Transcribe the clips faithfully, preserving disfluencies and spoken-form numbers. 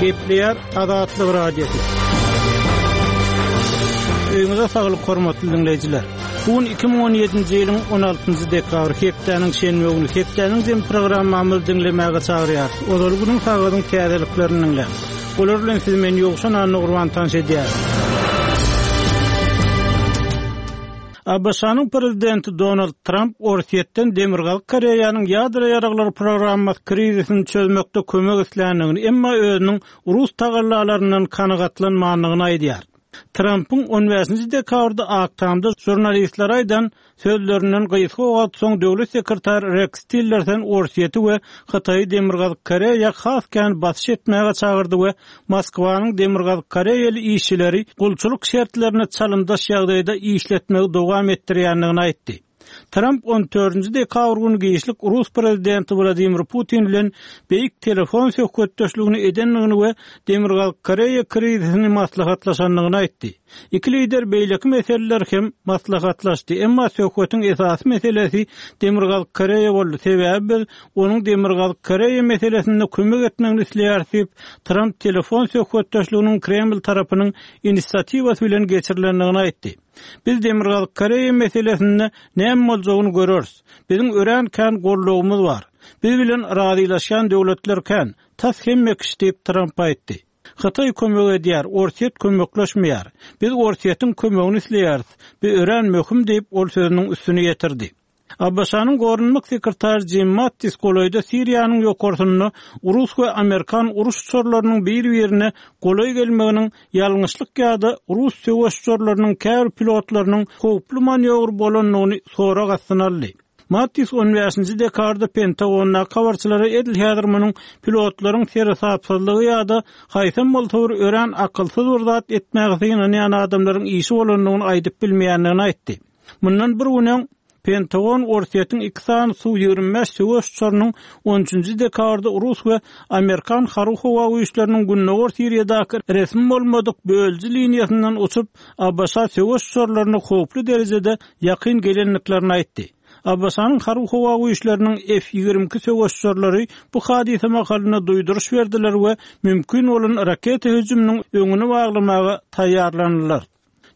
Gepleýär Azatlyk Radiosy. Öýüňize saglyk hormatly dinleýjiler. Bu gün iki müň on ýedinji ýylyň on altynjy dekabry hepdäniň şenbe güni hepdäniň jem programmamyzy diňlemäge çagyrýarys. Ozal günüň sagadyň täzeliklerini diňläň. Olar bilen siz men Ýowşan Annagurban tanyş edýär. ABŞ-nyň prezidenti Donald Trump Orsýetden Demirgazyk Koreýanyň ýadro ýaraglary programmasy krizisini çözmekde kömek isländigini, emma özüniň rus tagallalaryndan kanagatlanmandygyny aýdýar. Trump'yň on bäşinji dekabrda Ak Tamda žurnalistlere aýdan sözlerinden gysga wagt soň döwlet sekretary Rex Tillerson Orsýeti we Hytaýy Demirgazyk Koreýa has kän basyş etmäge çagyrdy we Moskwanyň Demirgazyk Koreýaly işçileri gulçulyk şertlerine çalymdaş ýagdaýda işletmegi dowam etdirýändigini aýtdy. Trump on dördünji dekabr günü giçlik Rus prezidenti Vladimir Putin bilen beýik telefon söhbetdeşligini edendigini we Demirgazyk Koreýa krizisini maslahatlaşandygyny aýtdy. Iki lider beýleki meseleler hem maslahatlaşdy. Emma söhbetiň esasy meselesi Demirgazyk Koreýa boldy. Sebäbi biz onuň Demirgazyk Koreýa meselesinde kömek etmegini isleýäris diýip, Trump telefon söhbetdeşliginiň Kreml tarapynyň inisiatiwasy bilen geçirilendigini aýtdy. Biz Demirgazyk Koreýa meselesinde näme boljagyny göreriz. Biziň örän kän gollugymyz bar. Biz bilen razylaşýan döwletler kän. Tas hemme kişi diýip Trump aýtdy. Hytaý kömek edýär, Orsýet kömekleşmeýär. Biz Orsýetiň kömegini isleýäris. Bu örän möhüm diýip ol sözüniň üstüni ýetirdi. ABŞ-nyň goranmak sekretary Jim Mattis golaýda Siriýanyň ýokarsynda Rus we Amerikan uruş uçarlarynyň bir-birine golaý gelmeginiň ýalňyşlyk ýa-da Rus söweş uçarlarynyň käbir pilotlarynyň howply manýowr bolandygyny sorag astyna aldy. Mattis on bäşinji dekabrda Pentagondaky habarçylara edil häzir munuň pilotlaryň seresapsyzlygy ýa-da haýsam bolsa bir örän akylsyz bir zat etmäge synanýan adamlaryň işi bolandygyny aýdyp bilmeýändigini aýtdy. Mundan bir gün öň Pentagon Orsýetiň iki sany Su ýigrimi bäş söweş uçarynyň on üçünji dekabrda Rus we Amerikan harby howa güýçleriniň Gündogar Siriýadaky resmi bolmadyk bölüji liniýasyndan uçup, ABŞ söweş uçarlaryna howply derejede ýakyn gelendiklerini aýtdy. ABŞ-nyň harby howa güýçleriniň F ýigrimi iki söweş uçarlary bu hadysa mahalynda duýduryş berdiler we mümkin bolan raketa hüjüminiň öňüni baglamaga taýýarlandylar.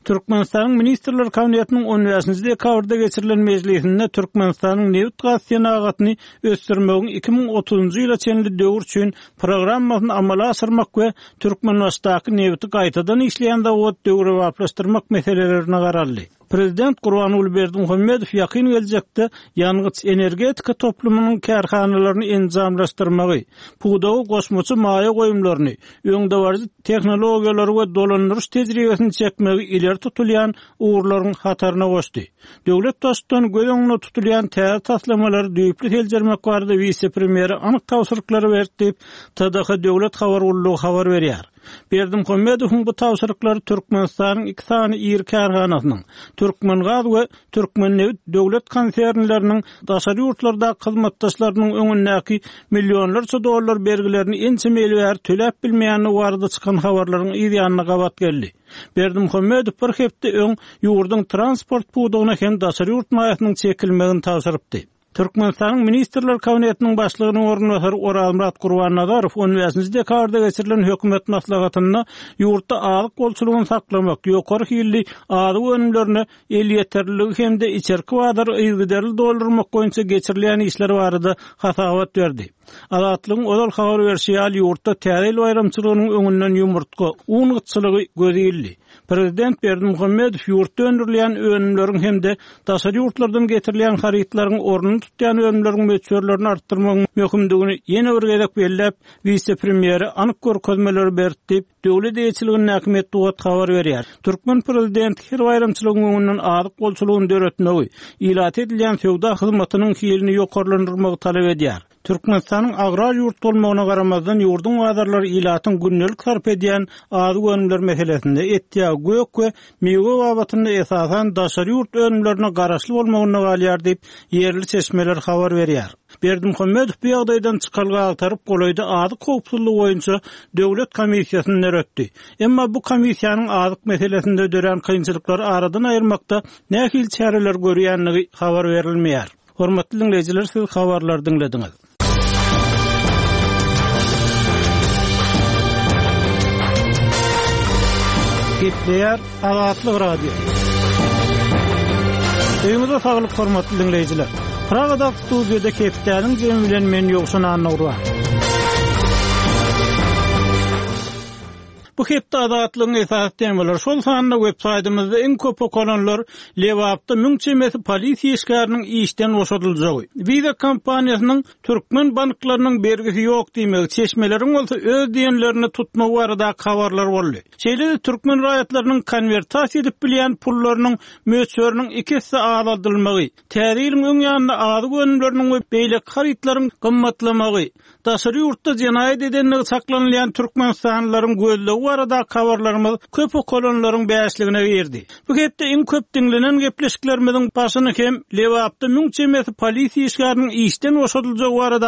Türkmenistanyň Ministrler Kabinetiniň on bäşinji dekabrda geçirilen mejlisinde Türkmenistanyň nebit gaz senagatyny ösdürmegiň iki müň otuzunjy ýyla çenli döwür üçin programmasyny amala aşyrmak we Türkmenbaşdaky nebiti gaýtadan işleýän zawod döwrebaplaşdyrmak meselelerine garaldy. Prezident Gurbanguly Berdimuhamedow ýakyn geljekde ýangyç energetika toplumynyň kärhanalaryny enjamlaşdyrmagy, pudagy goşmaça maýa goýumlaryny, öňdebaryjy tehnologiýalary we dolandyryş tejribesini çekmegi ileri tutulýan ugurlaryň hataryna goşdy. Döwlet baştutany göz öňünde tutulýan täze taslamalary düýpli seljermek barada wise-premýere anyk tabşyryklary berdi diýip, T D H Döwlet Habar Gullugy habar berýär. Berdimuhamedowyň bu tabşyryklary Türkmenistanyň iki sany iri kärhanasynyň, Türkmengaz we Türkmennebit döwlet konsernleriniň daşary ýurtlardaky hyzmatdaşlarynyň öňündäki millionlarça dollar bergilerini ençeme ýyl bäri töläp bilmeýändigi barada çykan habarlaryň yz ýanyna gabat geldi. Berdimuhamedow bir hepde öň ýurduň transport pudagyna hem daşary ýurt maýasynyň çekilmegini tabşyrypdy. Türkmenistanyň Ministrler Kabinetiniň başlygynyň orunbasary Orazmyrat Gurbannazarow on bäşinji dekabrda geçirilen hökümet maslahatynda ýurtda azyk bolçulygyny saklamak, ýokary hilli azyk önümlerine elýeterliligi hem-de içerki bazary yzygiderli doldurmak boýunça geçirilýän işler barada hasabat berdi. Azatlygyň ozal habar berşi ýaly ýurtda täze ýyl baýramçylygynyň öňünden ýumurtga, un gytçylygy göz ildi. Prezident Berdimuhamedow ýurtda öndürilýän önümleriň hem-de daşary ýurtlardan getirilýän harytlaryň ornuny tutýan önümleriň möçberlerini artdyrmagyň möhümdigini ýene bir gezek belläp, wise-premýere anyk görkezmeleri berdi diýip, döwlet eýeçiligindäki metbugat habar berýär. Türkmen prezidenti her baýramçylygyň öňünden azyk bolçulygyny döretmegi, ilata edilýän söwda hyzmatynyň hilini ýokarlandyrmagy talap edýär. Türkmenistanyň agrar ýurt bolmagyna garamazdan ýurduň bazarlary ilatyň gündelik sarp edýän azyk önümler meselesinde et, ýag, gök we miwe babatynda esasan daşary ýurt önümlerine garaşly bolmagyna galýar diýip, ýerli çeşmeler habar berýär. Berdimuhamedow bu ýagdaýdan çykalga agtaryp golaýda azyk howpsuzlygy boýunça döwlet komissiýasyny döretdi. Emma bu komissiýanyň azyk meselesinde dörän kynçylyklary aradan aýyrmakda nähili çäreler görýändigi habar berilmeýär. Hormatly dinleýjiler, siz habarlary diňlediňiz. Gepleýär Azatlyk Radiosy. Öýüňize saglyk hormatly diňleýjiler. Pragadaky studiýada hepdäniň jemi bilen men Ýowşan Annagurban. Bu hepde Azatlygyň esasy temalary şol sanda web saýtymyzda iň köp okalanlar Lebapda müň çemesi polisiýa işgäriniň işden boşadyljagy, Visa kompaniýasynyň türkmen banklarynyň bergisi ýok diýmegi, çeşmeleriň bolsa öz diýenlerini tutmagy baradaky habarlar boldy. Şeýle-de türkmen raýatlarynyň konwertasiýa edip bilýän pullarynyň möçberiniň iki esse azaldylmagy, Täze ýylyň öň ýanynda azyk önümleriniň we beýleki harytlaryň gymmatlamagy, daşary ýurtda jenaýat edendigi çaklanylýan türkmenistanlylaryň gözlegi baradaky habarlarymyz köp okalanlaryň bäşligine girdi. Bu hepde iň köp diňlenen gepleşiklerimiziň başyny hem Lebapda müň çemesi polisiýa işgäriniň işden boşadyljagy barada